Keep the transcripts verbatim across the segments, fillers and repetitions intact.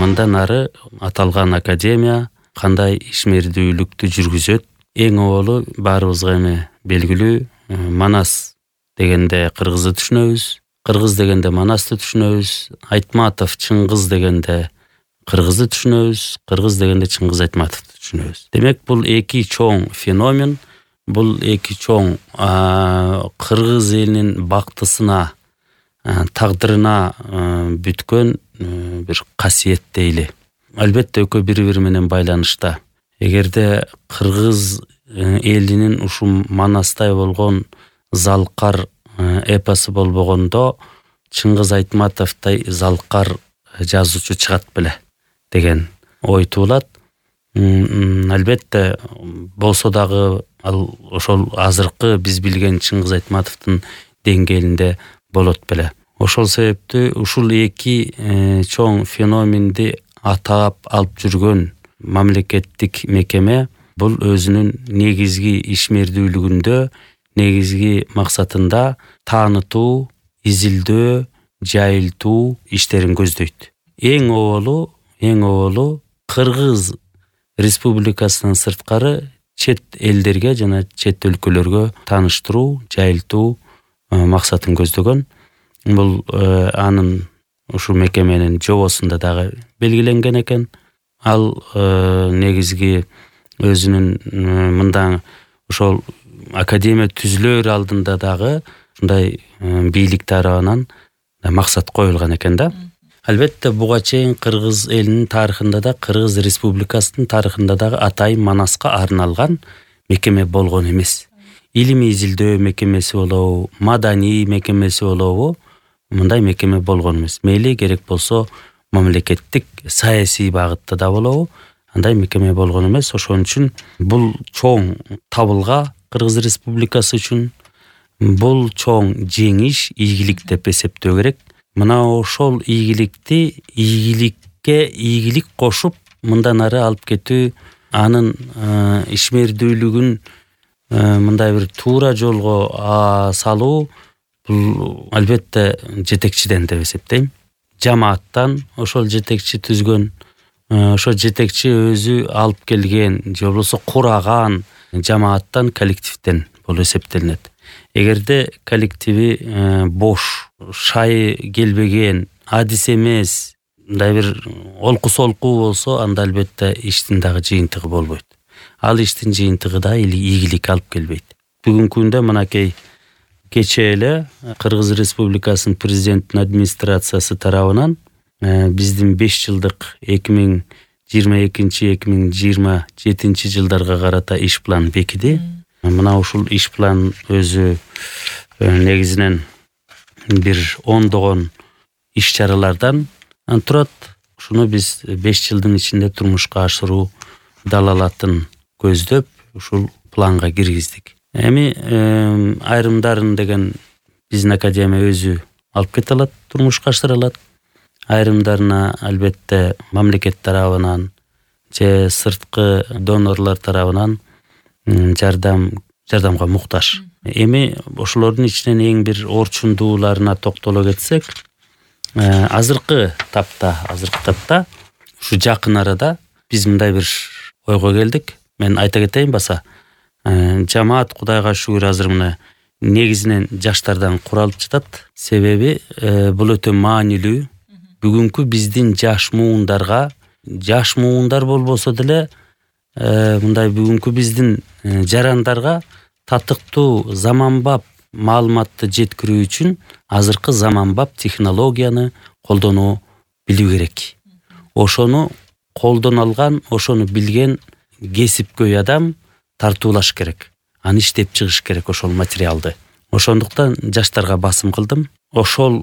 мындан ары аталган академия кандай ишмердүүлүктү жүргүзөт? Эң оболу баарыбызга эми белгилүү Манас дегенде кыргызды түшүнөбүз. Кыргыз дегенде Манасты түшүнөбүз. Айтматов Чыңгыз дегенде кыргызды түшүнөбүз. Кыргыз дегенде Чыңгыз Айтматовду түшүнөбүз. Демек бул эки чоң феномен, бул эки чоң кыргыз элинин бактысына, тагдырына бүткөн бир касиет дейли. Албетте экөө бири-бири менен байланышта. Эгерде кыргыз элинин ушул Манастай болгон залкар эпосу болбогондо Чыңгыз Айтматовдой залкар жазуучу чыгат беле деген ой туулат. Албетте болсо дагы ал ошол азыркы биз билген Чыңгыз Айтматовдун деңгээлинде болот беле. Ошол себептүү ушул эки чоң феноменди атап алып жүргөн мамлекеттик мекеме бул өзүнүн негизги ишмердүүлүгүндө, негизги максатында таанытуу, изилдөө, жайылтуу иштерин көздөйт. Эң оболу, эң оболу Кыргыз Республикасынан сырткары чет элдерге жана чет өлкөлөргө тааныштыруу, жайылтуу максатын көздөгөн. Бул анын ушул мекеменин жобосунда дагы белгиленген экен. Ал негизги өзүнүн мындан ошол академия түзүлөр алдында дагы ушундай бийлик тарабынан максат коюлган экен да. Албетте буга чейин кыргыз элинин тарыхында да, Кыргыз Республикасынын тарыхында дагы атайын Манаска арналган мекеме болгон эмес. Илимий изилдөө мекемеси болобу, маданий мекемеси болобу, мындай мекеме болгон эмес. Мейли керек болсо мамлекеттик саясий багытта да болобу, андай мекеме болгон эмес. Ошон үчүн бул чоң табылга Кыргыз Республикасы үчүн бул чоң жеңиш, ийгилик деп эсептөө керек. Мына ошол ийгиликти ийгиликке ийгилик кошуп, мындан ары алып кетүү, анын ишмердүүлүгүн мындай бир туура жолго салуу бул албетте жетекчиден деп эсептейм. Жамааттан, ошол жетекчи түзгөн, ошол жетекчи өзү алып келген же болбосо кураган жамааттан, коллективден болуп эсептелинет. Эгерде коллективи бош, шайы келбеген, адис эмес, мындай бир олку-солку болсо, анда албетте иштин дагы жыйынтыгы болбойт. Ал иштин жыйынтыгы да ийгилик алып келбейт. Бүгүнкү күндө мынакей кечээ эле Кыргыз Республикасынын президенттин администрациясы тарабынан биздин беш жылдык эки миң жыйырма экинчи эки миң жыйырма жетинчи жылдарга карата иш план бекиди. Мына ушул иш план өзү негизинен бир ондогон иш чаралардан турат. Ушуну биз беш жылдын ичинде турмушка ашыруу далалатын көздөп, ушул планга киргиздик. Эми айрымдарын деген биздин академия өзү алып кете алат, турмушка ашыра алат. Айрымдарына албетте мамлекет тарабынан же сырткы донорлор тарабынан жардам жардамга муктаж. Эми ошолордун ичинен эң бир орчундууларына токтоло кетсек, азыркы тапта, азыркы тапта ушу жакын арада биз мындай бир ойго келдик. Мен айта кетейин баса, жамаат Кудайга шүгүр азыр мына негизинен жаштардан куралып жатат. Себеби бул өтө маанилүү. Бүгүнкү биздин жаш муундарга, жаш муундар болбосо деле мындай бүгүнкү биздин жарандарга татыктуу заманбап маалыматты жеткирүү үчүн азыркы заманбап технологияны колдоно билүү керек. Ошону колдоно алган, ошону билген кесипкөй адам тартуулаш керек. Аны иштеп чыгыш керек ошол материалды. Ошондуктан жаштарга басым кылдым. Ошол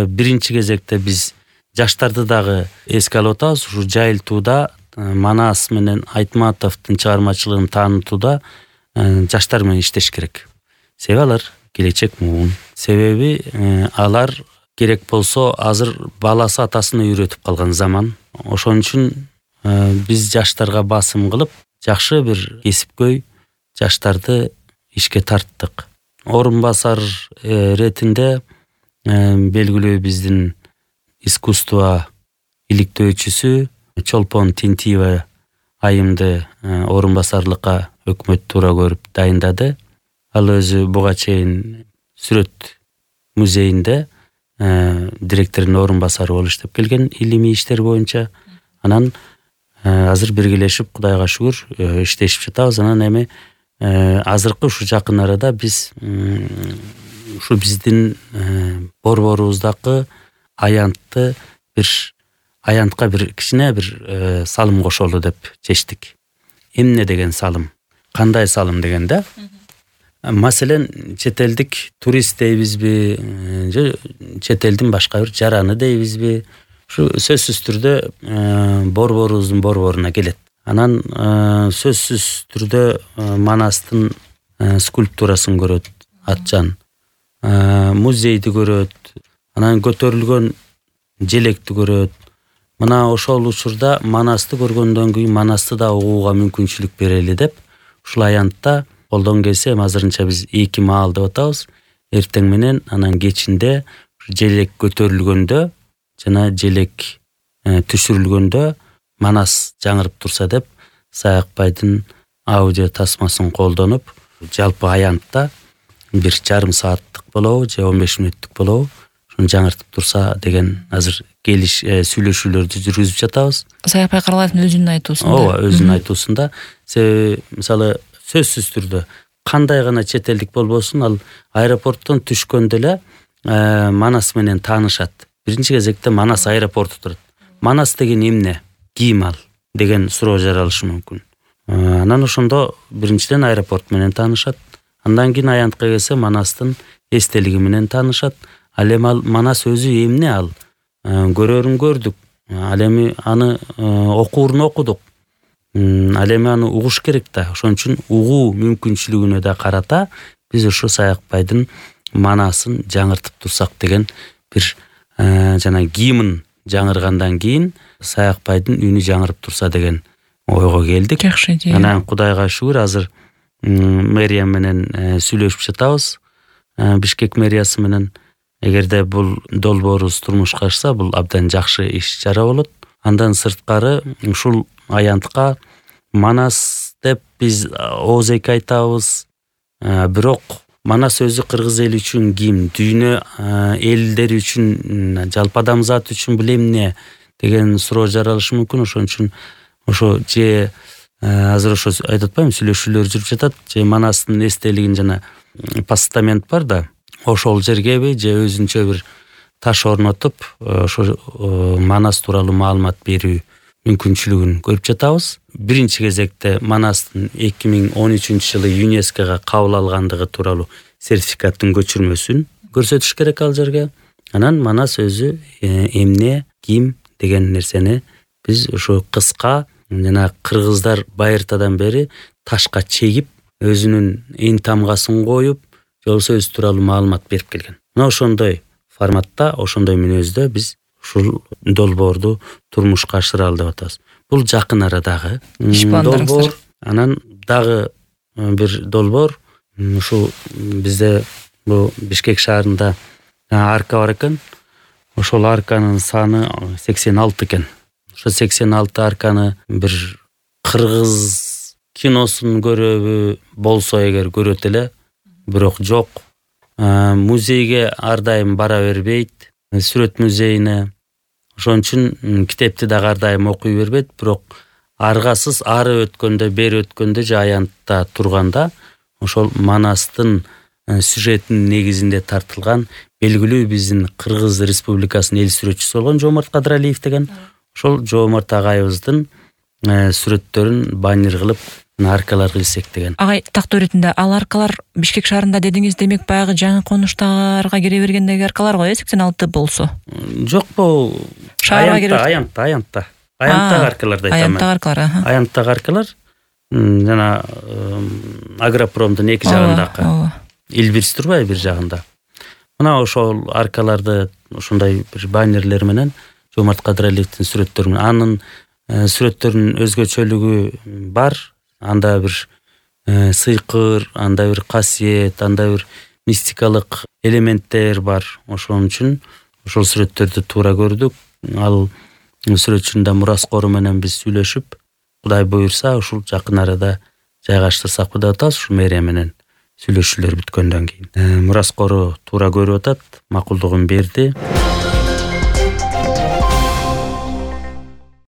биринчи кезекте биз жаштарды дагы эске алып атабыз. Ушу жайылтууда, Манас менен Айтматовдун чыгармачылыгын таанытууда жаштар менен иштеш керек. Себеби алар келечек муун. Себеби алар керек болсо азыр баласы атасына үйрөтүп калган заман. Ошон үчүн биз жаштарга басым кылып, жакшы бир кесипкөй жаштарды ишке тарттык. Орун басар ретинде белгилүү биздин искусство иликтөөчүсү Чолпон Тинтиева айымды орун басарлыкка өкмөт туура көрүп дайындады. Ал өзү буга чейин сүрөт музейинде директордун орун басары болуп иштеп келген илимий иштер боюнча. Анан азыр биргелешип Кудайга шүгүр иштешип жатабыз. Анан эми азыркы ушу жакын арада биз ушу биздин борборубуздагы аянтты бир аянтка бир кичине бир салым кошолу деп чечтик. Эмне деген салым? Кандай салым дегенде, маселен чет элдик турист дейбизби, же чет элдин башка бир жараны дейбизби, ушу сөзсүз түрдө борборубуздун борборуна келет. Анан сөзсүз түрдө Манастын скульптурасын көрөт, атчан, музейди көрөт, анан көтөрүлгөн желекти көрөт. Мына ошол учурда Манасты көргөндөн кийин Манасты да угууга мүмкүнчүлүк берели деп ушул аянтта колдон келсе, азырынча биз эки маал деп атабыз. Эртең менен анан кечинде желек көтөрүлгөндө жана желек түшүрүлгөндө Манас жаңырып турса деп Саякбайдын аудио тасмасын колдонуп, жалпы аянтта бир жарым сааттык болобу же он беш мүнөттүк болобу ушуну жаңыртып турса деген азыр келиш сүйлөшүүлөрдү жүргүзүп жатабыз. Саякбай Каралаевдин өзүнүн айтуусунда. Ооба, өзүнүн айтуусунда. Себеби мисалы сөзсүз түрдө кандай гана чет элдик болбосун, ал аэропорттон түшкөндө эле Манас менен таанышат. Биринчи кезекте Манас аэропорту турат. Манас деген эмне? Ким ал деген суроо жаралышы мүмкүн. Анан ошондо биринчиден аэропорт менен таанышат. Андан кийин аянтка келсе Манастын эстелиги менен таанышат. Ал эми ал Манас өзү эмне ал? Көрөрүн көрдүк. Ал эми аны окуурун окудук. Ал эми аны угуш керек да. Ошон үчүн угуу мүмкүнчүлүгүнө да карата биз ушу Саякбайдын Манасын жаңыртып турсак деген бир жана гимн жаңыргандан кийин Саякбайдын үнү жаңырып турса деген ойго келдик. Жакшы идея. Анан Кудайга шүгүр азыр мэрия менен сүйлөшүп жатабыз. Бишкек мэриясы менен эгерде бул долбоорубуз турмушка ашса, бул абдан жакшы иш чара болот. Андан сырткары ушул аянтка Манас деп биз оозеки айтабыз. Бирок Манас өзү кыргыз эли үчүн ким, дүйнө элдери үчүн, жалпы адамзат үчүн бул эмне деген суроо жаралышы мүмкүн. Ошон үчүн ошо же азыр ошо айтып атпаймынбы, сүйлөшүүлөр жүрүп жатат, же Манастын эстелигин жана постамент бар да, ошол жергеби же өзүнчө бир таш орнотуп ошо Манас тууралуу маалымат берүү мүмкүнчүлүгүн көрүп жатабыз. Биринчи кезекте Манастын эки миң он үчүнчү жылы ЮНЕСКОга кабыл алгандыгы тууралуу сертификаттын көчүрмөсүн көрсөтүш керек ал жерге. Анан Манас өзү эмне, ким деген нерсени биз ушу кыска жана кыргыздар байыртадан бери ташка чегип, өзүнүн эн тамгасын коюп, же болбосо өзү тууралуу маалымат берип келген. Мына ошондой форматта, ошондой мүнөздө биз ушул долбоорду турмушка ашыралы деп атабыз. Бул жакын арадагы долбоор. Анан дагы бир долбоор ушул бизде бул Бишкек шаарында арка бар экен. Ошол арканын саны сексен алты экен. Ошо сексен алты арканы бир кыргыз киносун көрөбү болсо эгер көрөт эле, бирок жок. Музейге ар дайым бара бербейт, сүрөт музейине. Ошон үчүн китепти дагы ар дайым окуй бербейт, бирок аргасыз ары өткөндө, бери өткөндө же аянтта турганда ошол Манастын сюжетинин негизинде тартылган белгилүү биздин Кыргыз Республикасынын эл сүрөтчүсү болгон Жоомарт Кадыралиев деген ошол Жоомарт агайыбыздын сүрөттөрүн баннер кылып аркаларга илсек деген. Агай, тактоо иретинде ал аркалар Бишкек шаарында дедиңиз, демек баягы жаңы конуштарга кире бергендеги аркалар го, э, сексен алты болсо. Жок, бул аянтта, аянтта, аянтта. Аянттагы аркаларды айтам. Аянттагы аркалар, аха. Аянттагы аркалар жана Агропромдун эки жагындагы. Илбирс турбайбы бир жагында. Мына ошол аркаларды ошондой бир баннерлер менен Жоомарт Кадыралиевдин сүрөттөрү менен, анын сүрөттөрүнүн өзгөчөлүгү бар. Анда бир сыйкыр, анда бир касиет, анда бир мистикалык элементтер бар. Ошон үчүн ошол сүрөттөрдү туура көрдүк. Ал сүрөтчүнүн да Мураскору менен биз сүйлөшүп, Кудай буюрса ушул жакын арада жайгаштырсакпы деп атабыз. Ушу мэрия менен сүйлөшүүлөр бүткөндөн кийин Мураскору туура көрүп атат, макулдугун берди.